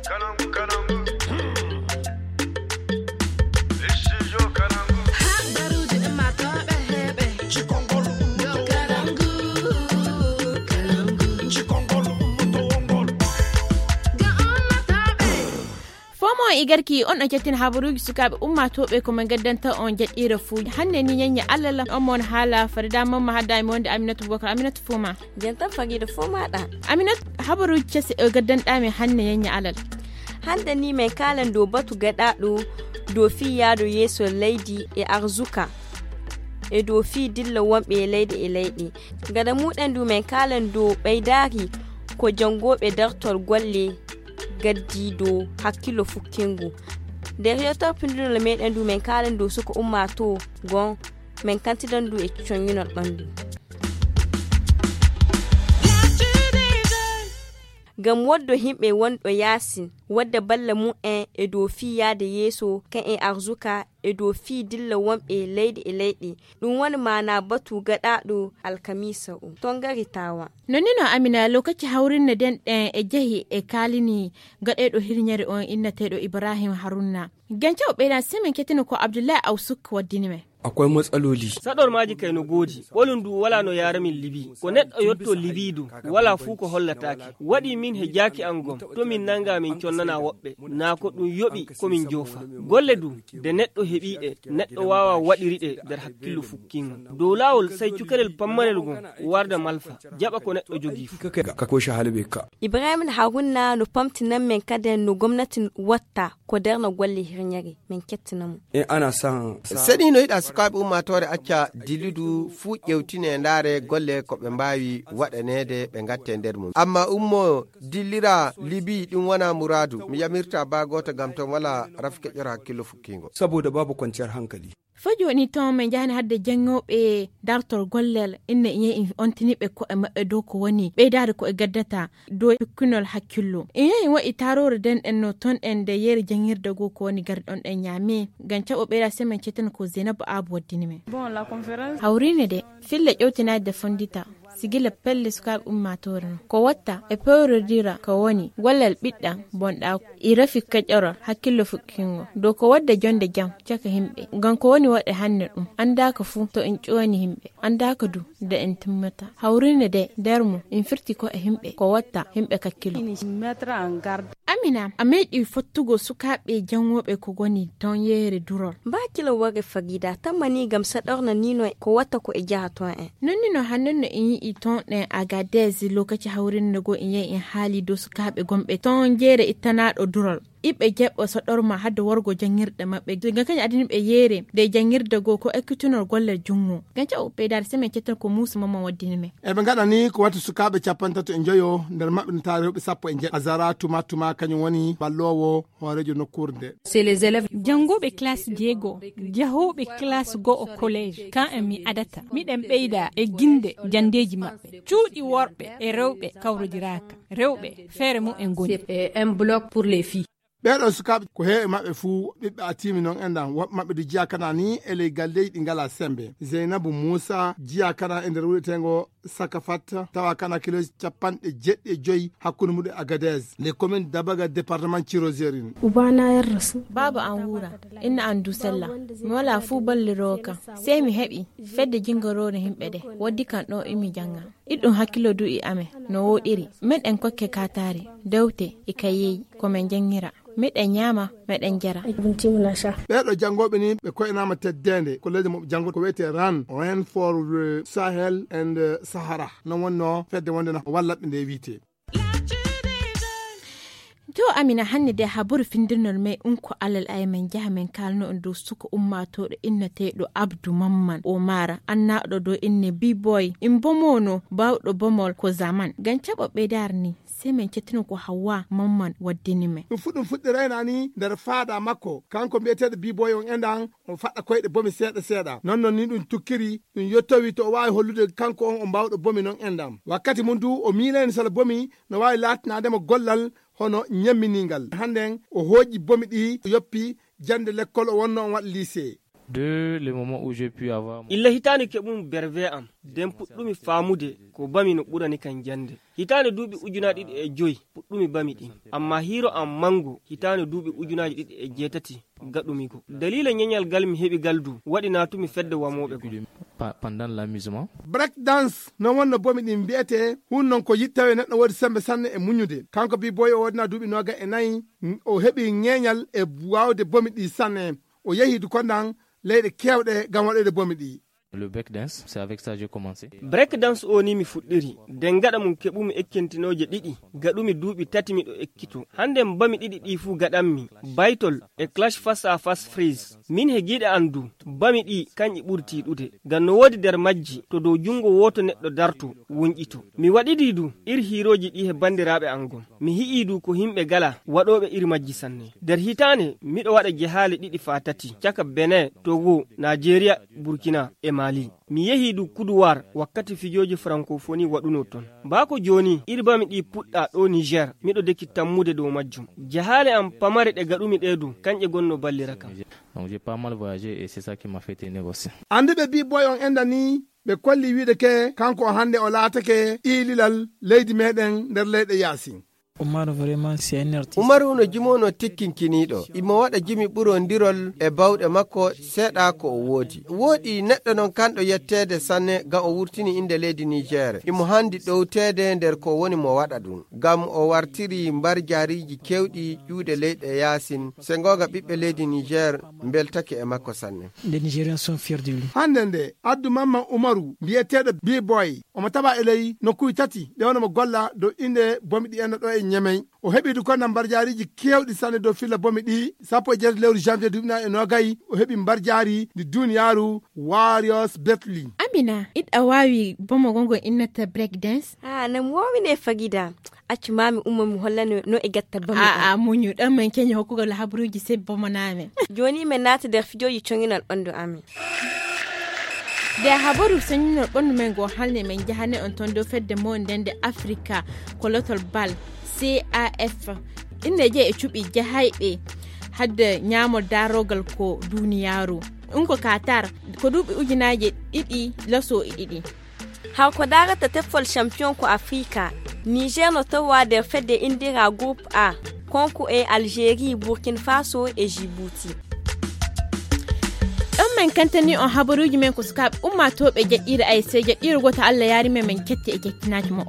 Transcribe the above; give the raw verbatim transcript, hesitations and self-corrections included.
Fomo e garki on ɗo kettina habaruuji sukaaɓe ummaatooɓe ko men gaddanta on jaɗɗiire fuu. Hannde ni ñeññe alala on mon haala farida mamma hadda mi wonde aminatu bokar aminatu fuma. Jantan farida fuma ɗa. Aminatu, habaruuji cese o gaddanɗa mi hannde ñeññe alal. Hannde ni men kaalan dow batu gaɗaaɗo dow fii yaado yeeso leydi e arzuka e dow fii dilla wonɓe e leyɗe e leyɗe. Gada muɗen du men kaalan dow ɓeydaari ko janngooɓe dartol golle gaddi dow hakkillo fukkingo. Nder yewtere pindunol meɗen du men kaalan dow suka ummaatoo gon men kantidan du e coñinol ɓanndu. Ngam woddo himɓe wonɗo yaasin wadda balla mu'en e dow fii yaade yeeso kan e arzuka e dow fii dilla wonɓe leyɗe e leyɗe. Ɗum woni maana batu gaɗaaɗo alkamiisa o tongari tawa. Nonino amina lokaci hawrinne den ɗen e jehi e kaalini gaɗeeɗo hirñere on innateeɗo ibrahim harunna. Ganca o ɓeydan semen ketino ko abdullahi awsuk waddini men. Akwai matsaloli. Saɗormaaji kay no goodi. Ɓolum du walaa no yaara min Libi. Ko neɗɗo yotto Libi du, walaa fuu ko hollataake. Waɗi min he jaaki am gom, to min nanngaa min connanaa woɓɓe. Naa ko ɗum yoɓi ko min joofa. Golle du, de neɗɗo heɓii ɗe, neɗɗo waawaa waɗiri ɗe nder hakkillo fukkiingo. Dow laawol, sey cukalel pammarel gom warda malfa, jaɓa ko neɗɗo jogii fuu. Ka ko shahali bai ka. Ibrahim Haruna no pamtinan men kaden no gomnati watta ko darna golle hirñere. Men kettina mo. E ana san. Seni no yiɗa sukaaɓe ummaatoore acca dilludu fuu ƴewtine ndaare golle ko ɓe mbaawi waɗaneede ɓe ngatte nder mum. Amma ummo dillira Libi ɗum wona muraadu. Mi yamirta baa gooto ngam ton wala rafi keƴora hakkillo fukkiingo. Saboda babu kwanciyar hankali. Fo jooni ton min njahani hadde janngooɓe dartol gollel inne iye in ontini ɓe ko'e maɓɓe dow ko woni ɓeydaade ko e gaddata dow pukkinol hakkillo. Iye in waɗi taaroore denɗen no ton ɗen nde yeere janngirde goo ko woni garɗon ɗen ñaami ngam caɓo ɓeyda semen cetten ko zeynabu aabu waddini men. Hawriine de fille ƴewtinaade de fonndita. Sigila pelle sukaaɓe ummaatoore no ko watta e pewrodira ko woni gollal ɓiɗɗam bonɗaaku e rafi keƴorol hakkillo fukkingo dow ko wadda jonnde jam caka yimɓe ngam ko woni waɗe hannde ɗum anndaaka fuu to en ƴooni yimɓe anndaaka du nde en timmata hawrinde de nder mum en firti ko e yimɓe ko watta yimɓe kakkilo. Amina a meeɗi fottugo sukaaɓe janngooɓe ko woni ton yeere durol. Mbaakilo ware fagida tamma ni ngam saɗorna nino ko watta ko e jaha ton en. Nonni no hannun no en yi'i ton ɗen agadez lokaci hawrinde goo en yahi en haali dow sukaaɓe gonɓe ton jeere ittanaaɗo durol. Iɓɓe jeɓɓo soɗorma hadde worgo janngirɗe maɓɓe ngam kañum adini ɓe yeere nde janngirde goo ko ekkitunol gollal junngo ngam caɓo ɓeydaade semen cetton ko muusa mamman waddini men. Eɓe ngaɗa ni ko watti sukaaɓe capantato e njoyo nder maɓɓe no taari rewɓe sappo e njeɗɗo azara tuma tuma kañum woni balloowo hooreejo nokkuure nde. Janngooɓe kalaas jeego jahooɓe kalaas go'o koleej kan en mi adata miɗen ɓeyda e ginnde janndeeji maɓɓe. Cuuɗi worɓe e rewɓe kawrodiraaka. Rewɓe feere mum en ngoni. Ɓeeɗo sukaaɓe ko heewi maɓɓe fuu ɓiɓɓe atimi non enɗan woɓɓe maɓɓe du jiya kana ni e ley galleeji ɗi ngalaa semmbe zeynabu muusa jiya kana e nder wuɗeteengo sakafat tawa kana kilooji capanɗe jeɗɗi e joyi hakkunde muɗum e agadez les communes dabaga département cirozerin. Ubana yarrasu. Baaba an wuura. Inna an du sella. Mi walaa fuu balliroowo kam. Sey mi heɓi fedde jinngoroore yimɓe ɗe waddi kam ɗoo imi jannga. Iɗɗum hakkillo du e amen no wooɗiri. Meɗen kokke kaataari dewte e kayeeji ko men njanngira. Meɗen ñaama meɗen njara. Ɓeeɗo janngooɓe ni ɓe koynaama teddeende ko leydi maɓɓe janngo ko wiyetee ran ren for sahel and sahara non wonnoo fedde wonde no wallaɓɓe nde wiyetee. To amina hannde de haburu findirnol may unko alal ay men njaha men kaalno on dow suka ummaatooɗo inneteeɗo abdu mamman o maara annaaɗo dow inne biboy in bomono baawɗo bomol ko zaman ngam caɓo ɓeydaare ni. Sey men cettino ko hawwa mamman waddini men. Ɗum fuɗɗum fuɗɗi raynaani nder faada makko kanko mbiyeteeɗo biboy on enɗan o faɗɗa koyɗe bomi seeɗa seeɗa non non ni ɗum tukkiri ɗum yettowi to o waawi hollude kanko on o mbaawɗo bomi non enɗam wakkati mum du o miilayni sala bomi no waawi laatanaade mo gollal hono ñamminingal hannden o hooƴi bomi ɗi o yoppi jannde lekkol o wonno on waɗa liisee. De le moment où j'ai pu avoir illa hitaande keɓumi berve am, nden puɗɗumi faamude ko bami no ɓurani kan jannde. Hitaande duuɓi ujunaaji ɗiɗi e joy puɗɗumi bami ɗin, amma hiiro am manngu hitaande duuɓi ujunaaji ɗiɗi e jeetati gaɗumi go. Daliila ñeñal gal mi heɓi gal du waɗi naatumi fedde wamooɓe go. Pendant l'amusement. Break dance non wonno bomi ɗin mbiyetee, hun non ko yittawe neɗɗo woodi sembe sanne e muññude. Kanko bi boy o woodina duuɓi nooga e nayi, o heɓi ñeeñal e waawde bomi ɗi sanne. O yehi du konnan leyɗe keewɗe ngam waɗoyde bomi ɗi. Le break dance, c'est avec ça j'ai commencé. Break dance o ni mi fuɗɗiri, nden gaɗa mum keɓumi ekkentinooje ɗiɗi, gaɗumi duuɓi tati miɗo ekkito. Hande bami ɗiɗi ɗi fuu gaɗammi, baytol e clash face à face freeze. Min he giiɗe an du, bami ɗi kanƴi ɓuri tiiɗude. Ngam no woodi nder majji, to dow junngo wooto neɗɗo darto, wunƴito. Mi waɗidi du, ir hiirooji ɗi he banndiraaɓe an gon. Mi hi'i du ko himɓe gala waɗooɓe iri majji sanne. Nder hitaande, miɗo waɗa jehaale ɗiɗi faa tati, caka Benin, Togo, Naajeeriya, Burkina e Mali. Mi yehi du Kuduwaar wakkati fijooji Frankofoni waɗunoo ton. Baa ko jooni, iri bami ɗi puɗɗa ɗo Niger, miɗo deki tammude dow majjum. Jehaale am pamare ɗe gaɗumi ɗe du, kanƴe gonno ballira kam. Donc j'ai pas mal voyagé et c'est ça qui m'a fait tenir aussi. Annduɓe bi boy on enda ni, ɓe kolli wiide ke kanko o hannde o laatake iililal leydi meɗen nder leyɗe yaasi. Umaru vraiment c'est un artiste. Umaru no jimoono tikkinkiniiɗo. Imo waɗa jimi ɓurondirol e bawɗe makko, seeɗa ko o woodi. Wooɗi neɗɗo non kanɗo yetteede sanne ngam o wurtini innde leydi Niger. Imo hanndi ɗowteede nder ko woni mo waɗa ɗum. Ngam o wartiri mbarjaariiji keewɗi ƴuuɗe leyɗe yaasin. Se ngoonga ɓiɓɓe leydi Niger mbeltake e makko sanne. Les Nigériens sont fiers de lui. Hannde nde, addu Mamman Umaru, mbiyeteeɗo B-Boy, omo taɓa e ley nokkuuji tati, ɗe wano mo golla dow innde bomi ɗi enno ɗo e Ñemey. O heɓi du konna mbarjaariiji keewɗi sanne dow filla bomi ɗi, sappo e jeetati lewru janvier duuɓi nayi e noogay, o heɓi mbarjaari ndi duuniyaaru Warriors Betli. Amina, iɗa waawi bomo gongo innata break dance? Ah, nam woowine fagida. Accu maa mi umma mi hollane no e gatta bammi. A'a, muñu, ɗon men keñi hokkugol habaruuji sebbo mo naamen. Jooni men naata nder fijooji coñinal ɓanndu amen. Nde habaru soñinol ɓanndu men ngo halne men jahane on ton dow fedde mo nden nde Afrika ko lotol bal C A F. Inne jeyi e cuɓi jahayɓe hadde ñaamol daarogal ko duuniyaaru. Ɗum ko Qatar, ko duuɓi ujunaaje ɗiɗi laso e ɗiɗi. Haw ko daarata teffol champion ko Afrika, Niger no towa nder fedde indira groupe A, konko e Algérie, Burkina Faso e Djibouti. Ɗon men kantani on habaruuji men ko sukaaɓe ummaatooɓe jaɗɗiire A S C, jaɗɗiire gooto Allah yaari men, men ketti e kettinaaji mo.